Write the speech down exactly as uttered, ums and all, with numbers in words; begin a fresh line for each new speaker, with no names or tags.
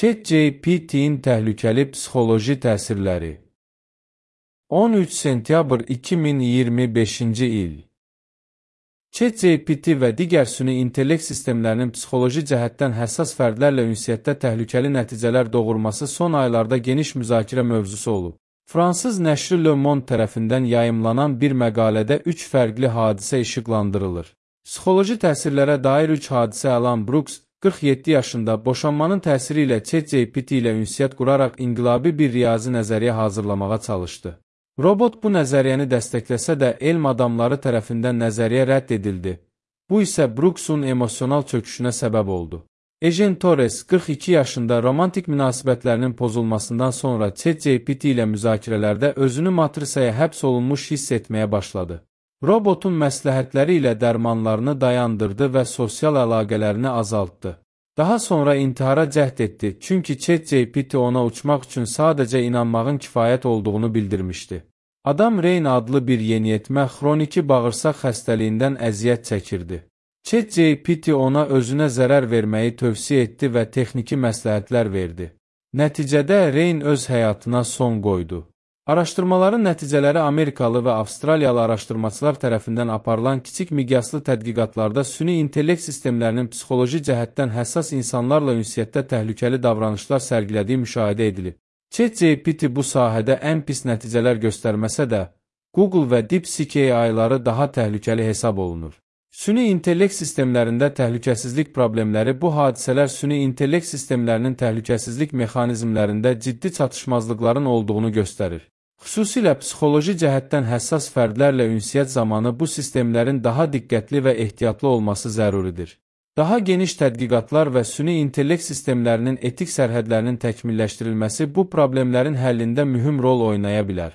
ChatGPT-in təhlükəli psixoloji təsirləri. on üç sentyabr iki min iyirmi beşinci il. ChatGPT və digər süni intellekt sistemlərinin psixoloji cəhətdən həssas fərdlərlə ünsiyyətdə təhlükəli nəticələr doğurması son aylarda geniş müzakirə mövzusu olub. Fransız nəşri Le Monde tərəfindən yayımlanan bir məqalədə üç fərqli hadisə işıqlandırılır. Psixoloji təsirlərə dair üç hadisə Alan Brooks, qırx yeddi yaşında boşanmanın təsiri ilə ChatGPT ilə ünsiyyət quraraq inqilabi bir riyazi nəzəriyyə hazırlamağa çalışdı. Robot bu nəzəriyyəni dəstəkləsə də elm adamları tərəfindən nəzəriyyə rədd edildi. Bu isə Brooksun emosional çöküşünə səbəb oldu. Ejen Torres, qırx iki yaşında romantik münasibətlərinin pozulmasından sonra ChatGPT ilə müzakirələrdə özünü matrisaya həbs olunmuş hiss etməyə başladı. Robotun məsləhətləri ilə dərmanlarını dayandırdı və sosial əlaqələrini azaltdı. Daha sonra intihara cəhd etdi, çünki ChatGPT ona uçmaq üçün sadəcə inanmağın kifayət olduğunu bildirmişdi. Adam Rain adlı bir yeniyetmə xroniki bağırsaq xəstəliyindən əziyyət çəkirdi. ChatGPT ona özünə zərər verməyi tövsiyə etdi və texniki məsləhətlər verdi. Nəticədə Rain öz həyatına son qoydu. Araşdırmaların nəticələri Amerikalı və Avstraliyalı araşdırmaçılar tərəfindən aparılan kiçik miqyaslı tədqiqatlarda süni intellekt sistemlərinin psixoloji cəhətdən həssas insanlarla ünsiyyətdə təhlükəli davranışlar sərgilədiyi müşahidə edilib. ChatGPT bu sahədə ən pis nəticələr göstərməsə də, Google və DeepSeek A I-ları daha təhlükəli hesab olunur. Süni intellekt sistemlərində təhlükəsizlik problemləri bu hadisələr süni intellekt sistemlərinin təhlükəsizlik mexanizmlərində ciddi çatışmazlıqların olduğunu göstərir. Xüsusilə psixoloji cəhətdən həssas fərdlərlə ünsiyyət zamanı bu sistemlərin daha diqqətli və ehtiyatlı olması zəruridir. Daha geniş tədqiqatlar və süni intellekt sistemlərinin etik sərhədlərinin təkmilləşdirilməsi bu problemlərin həllində mühüm rol oynaya bilər.